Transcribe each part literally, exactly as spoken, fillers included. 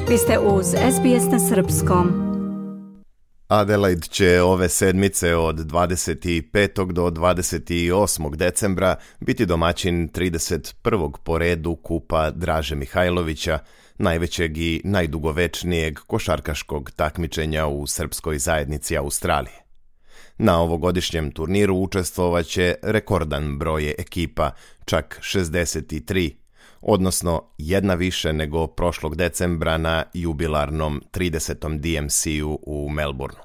Vi ste uz S B S na srpskom. Adelaide će ove sedmice od dvadeset petog do dvadeset osmog decembra biti domaćin trideset prvog po redu Kupa Draže Mihajlovića, najvećeg i najdugovečnijeg košarkaškog takmičenja u srpskoj zajednici Australije. Na ovogodišnjem turniru učestvovaće rekordan broj ekipa, čak šezdeset tri, odnosno jedna više nego prošlog decembra na jubilarnom tridesetom D M C-u u Melbourneu.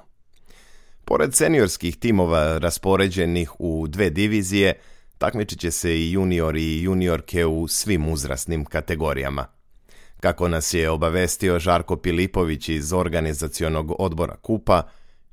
Pored seniorskih timova raspoređenih u dve divizije, takmičit će se i juniori i juniorke u svim uzrasnim kategorijama. Kako nas je obavestio Žarko Pilipović iz organizacionog odbora Kupa,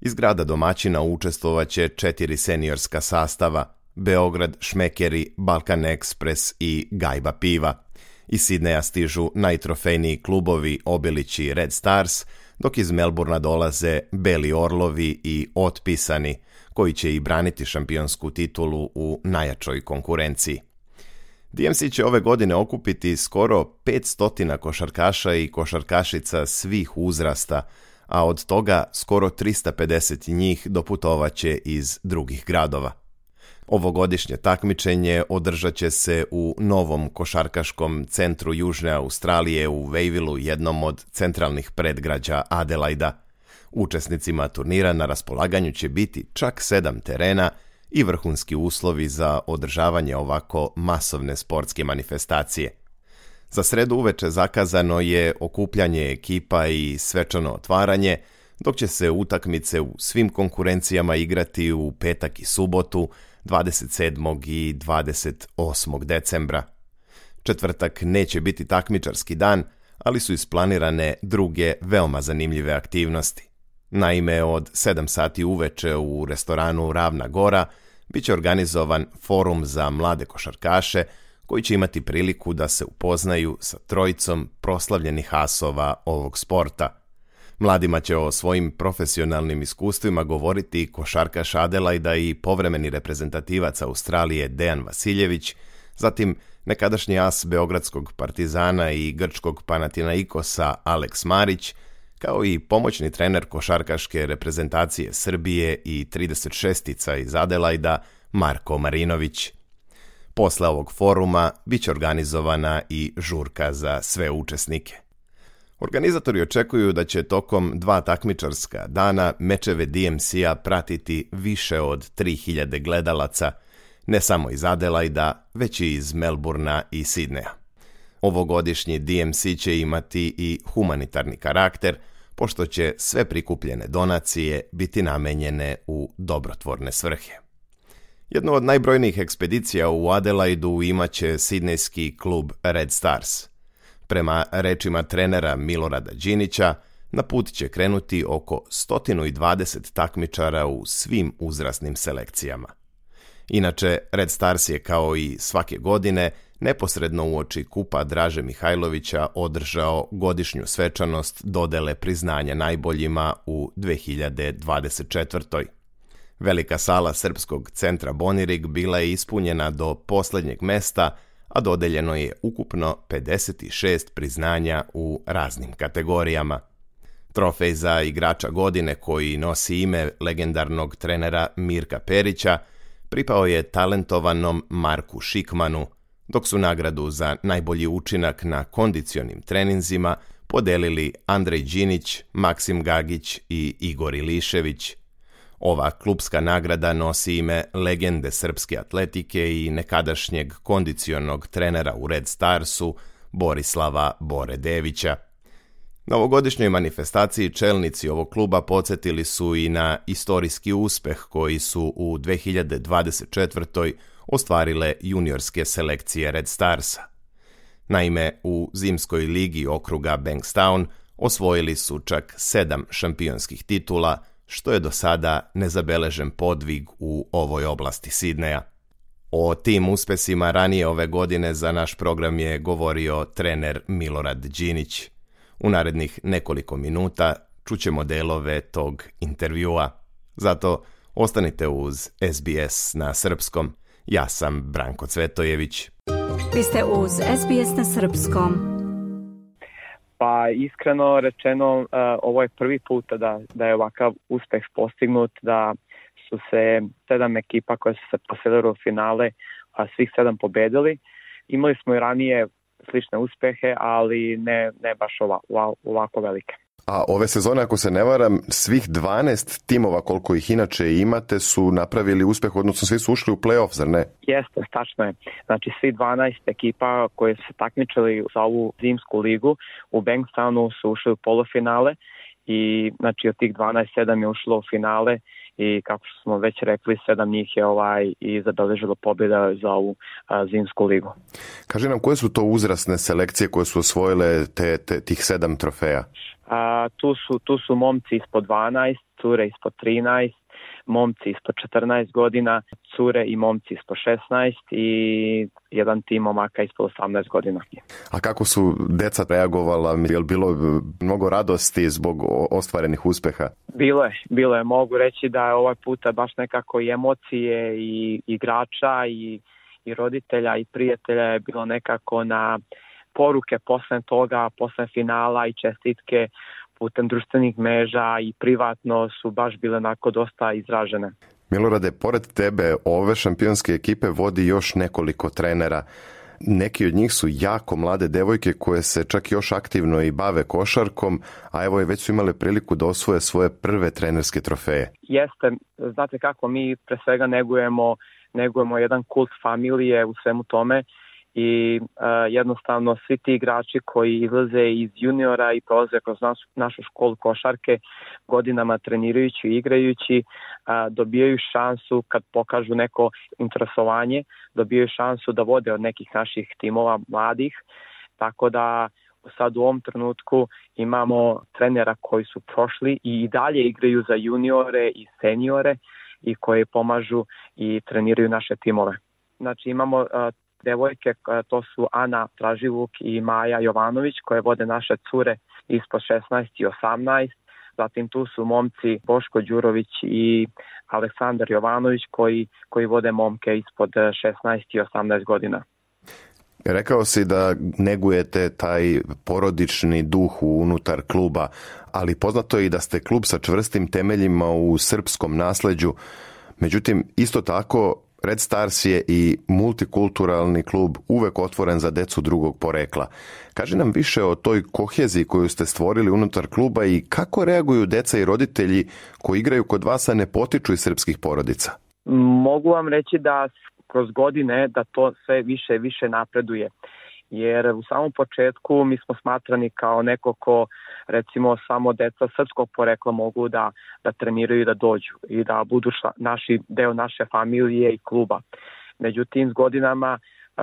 iz grada domaćina učestvovaće četiri seniorska sastava: Beograd, Šmekeri, Balkan Express i Gajba piva. Iz Sidneja stižu najtrofejniji klubovi Obilić i Red Stars, dok iz Melbournea dolaze Beli Orlovi i Otpisani, koji će i braniti šampionsku titulu u najjačoj konkurenciji. D M C će ove godine okupiti skoro petsto košarkaša i košarkašica svih uzrasta, a od toga skoro tristo pedeset njih doputovaće iz drugih gradova. Ovogodišnje takmičenje održat će se u novom košarkaškom centru Južne Australije u Wavelleu, jednom od centralnih predgrađa Adelaida. Učesnicima turnira na raspolaganju će biti čak sedam terena i vrhunski uslovi za održavanje ovako masovne sportske manifestacije. Za sredu uveče zakazano je okupljanje ekipa i svečano otvaranje, dok će se utakmice u svim konkurencijama igrati u petak i subotu, dvadeset sedmog i dvadeset osmog decembra. Četvrtak neće biti takmičarski dan, ali su isplanirane druge veoma zanimljive aktivnosti. Naime, od sedam sati uveče u restoranu Ravna Gora bit će organizovan forum za mlade košarkaše, koji će imati priliku da se upoznaju sa trojicom proslavljenih asova ovog sporta. Mladima će o svojim profesionalnim iskustvima govoriti košarkaš Adelaida i povremeni reprezentativac Australije Dejan Vasiljević, zatim nekadašnji as beogradskog Partizana i grčkog Panathinaikosa Aleks Marić, kao i pomoćni trener košarkaške reprezentacije Srbije i trideset šestica iz Adelaida Marko Marinović. Posle ovog foruma bit će organizovana i žurka za sve učesnike. Organizatori očekuju da će tokom dva takmičarska dana mečeve D M C-a pratiti više od tri hiljade gledalaca, ne samo iz Adelaida, već i iz Melbournea i Sidneja. Ovogodišnji D M C će imati i humanitarni karakter, pošto će sve prikupljene donacije biti namenjene u dobrotvorne svrhe. Jednu od najbrojnijih ekspedicija u Adelaidu imaće sidnejski klub Red Stars. Prema rečima trenera Milorada Đinića, na put će krenuti oko sto dvadeset takmičara u svim uzrasnim selekcijama. Inače, Red Stars je kao i svake godine neposredno uoči Kupa Draže Mihajlovića održao godišnju svečanost dodele priznanja najboljima u dve hiljade dvadeset četvrtoj. Velika sala Srpskog centra Bonirig bila je ispunjena do posljednjeg mesta, a dodeljeno je ukupno pedeset šest priznanja u raznim kategorijama. Trofej za igrača godine, koji nosi ime legendarnog trenera Mirka Perića, pripao je talentovanom Marku Šikmanu, dok su nagradu za najbolji učinak na kondicionim treninzima podelili Andrej Đinić, Maksim Gagić i Igor Ilišević. Ova klubska nagrada nosi ime legende srpske atletike i nekadašnjeg kondicionog trenera u Red Starsu Borislava Bore Devića. Na ovogodišnjoj manifestaciji čelnici ovog kluba podsjetili su i na istorijski uspeh koji su u dve hiljade dvadeset četvrtoj ostvarile juniorske selekcije Red Starsa. Naime, u zimskoj ligi okruga Bankstown osvojili su čak sedam šampionskih titula, što je do sada nezabeležen podvig u ovoj oblasti Sidneja. O tim uspesima ranije ove godine za naš program je govorio trener Milorad Đinić. U narednih nekoliko minuta čućemo delove tog intervjua. Zato ostanite uz S B S na srpskom. Ja sam Branko Cvetojević. Vi ste uz S B S na srpskom. Pa iskreno rečeno, uh, ovo je prvi put da, da je ovakav uspeh postignut, da su se sedam ekipa koje su se poselile u finale, a svih sedam pobedili. Imali smo i ranije slične uspehe, ali ne, ne baš ovako, ovako velike. A ove sezone, ako se ne varam, svih dvanaest timova koliko ih inače imate su napravili uspeh, odnosno svi su ušli u play-off, zar ne? Jeste, tačno je. Znači svi dvanaest ekipa koje su se takmičili za ovu zimsku ligu u Bankstownu su ušli u polufinale i znači od tih dvanaest sedam je ušlo u finale i kako smo već rekli, sedam njih je ovaj i zabeležilo pobjeda za ovu a, zimsku ligu. Kaži nam, koje su to uzrasne selekcije koje su osvojile te, te, tih sedam trofeja? A, tu, su, tu su momci ispod dvanaest, cure ispod trinaest, momci ispod četrnaest godina, cure i momci ispod šesnaest i jedan tim momaka ispod osamnaest godina. A kako su deca reagovala? Je li bilo mnogo radosti zbog ostvarenih uspeha? Bilo je, bilo je. Mogu reći da je ovaj puta baš nekako i emocije i igrača i, i roditelja i prijatelja je bilo nekako na poruke posle toga, posle finala i čestitke putem društvenih mreža i privatno su baš bile onako dosta izražene. Milorade, pored tebe ove šampionske ekipe vodi još nekoliko trenera. Neki od njih su jako mlade devojke koje se čak još aktivno i bave košarkom, a evo je već su imale priliku da osvoje svoje prve trenerske trofeje. Jeste, znate kako, mi pre svega negujemo, negujemo jedan kult familije u svemu tome i uh, jednostavno svi ti igrači koji izlaze iz juniora i prolaze kroz našu, našu školu košarke godinama trenirajući i igrajući uh, dobijaju šansu kad pokažu neko interesovanje, dobijaju šansu da vode od nekih naših timova mladih, tako da sad u ovom trenutku imamo trenera koji su prošli i dalje igraju za juniore i seniore i koji pomažu i treniraju naše timove. Znači imamo uh, devojke, to su Ana Traživuk i Maja Jovanović koje vode naše cure ispod šesnaest i osamnaest. Zatim tu su momci Boško Đurović i Aleksandar Jovanović koji, koji vode momke ispod šesnaest i osamnaest godina. Rekao si da negujete taj porodični duh unutar kluba, ali poznato je i da ste klub sa čvrstim temeljima u srpskom nasleđu. Međutim, isto tako Red Stars je i multikulturalni klub uvek otvoren za decu drugog porekla. Kaži nam više o toj koheziji koju ste stvorili unutar kluba i kako reaguju deca i roditelji koji igraju kod vas, a ne potiču iz srpskih porodica? Mogu vam reći da kroz godine da to sve više i više napreduje. Jer u samom početku mi smo smatrani kao neko ko, recimo, samo deca srpskog porekla mogu da, da treniraju i da dođu i da budu šla, naši, deo naše familije i kluba. Međutim, s godinama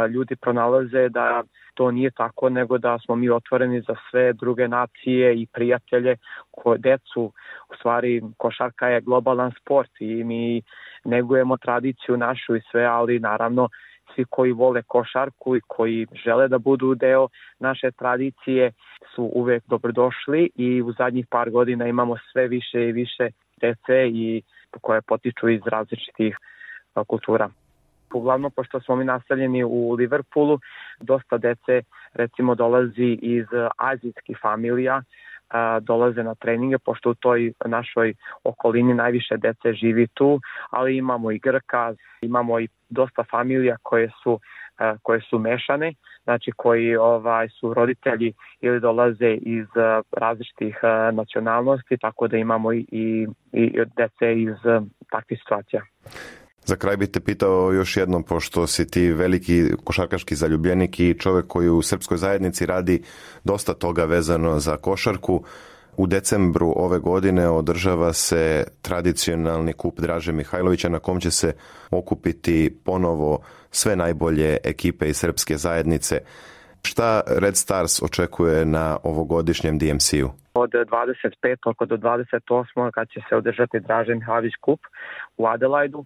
ljudi pronalaze da to nije tako, nego da smo mi otvoreni za sve druge nacije i prijatelje, koje decu, u stvari košarka je globalan sport i mi negujemo tradiciju našu i sve, ali naravno svi koji vole košarku i koji žele da budu deo naše tradicije su uvek dobrodošli i u zadnjih par godina imamo sve više i više dece i koje potiču iz različitih kultura. Uglavnom, pošto smo mi naseljeni u Liverpoolu, dosta dece recimo dolazi iz azijskih familija, dolaze na treninge, pošto u toj našoj okolini najviše dece živi tu, ali imamo i Grka, imamo i dosta familija koje su, koje su mešane, znači koji ovaj, su roditelji ili dolaze iz različitih nacionalnosti, tako da imamo i, i, i dece iz takvih situacija. Za kraj bih te pitao još jednom, pošto si ti veliki košarkaški zaljubljenik i čovjek koji u srpskoj zajednici radi dosta toga vezano za košarku. U decembru ove godine održava se tradicionalni kup Draže Mihajlovića na kom će se okupiti ponovo sve najbolje ekipe iz srpske zajednice. Šta Red Stars očekuje na ovogodišnjem D M C-u? Od dvadeset petog do dvadeset osmog kad će se održati Draže Mihajlović kup u Adelaidu,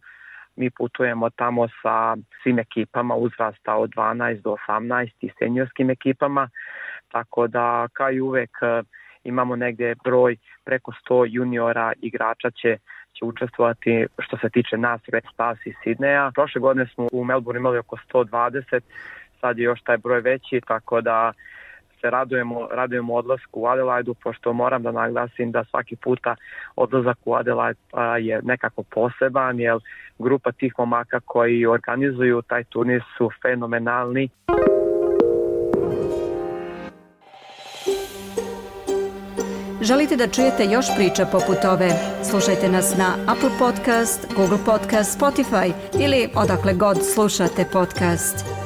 mi putujemo tamo sa svim ekipama uzrasta od dvanaest do osamnaest i seniorskim ekipama, tako da kao i uvek imamo negdje broj preko sto juniora igrača će, će učestvovati što se tiče nas Red Stars iz Sidneja. Prošle godine smo u Melbourne imali oko sto dvadeset, sad je još taj broj veći, tako da se radujemo, radujemo odlasku u Adelaidu, pošto moram da naglasim da svaki puta odlazak u Adelaide je nekako poseban, jer grupa tih momaka koji organizuju taj turnir su fenomenalni. Želite da čujete još priča poput ove? Slušajte nas na Apple Podcast, Google Podcast, Spotify ili odakle god slušate podcast.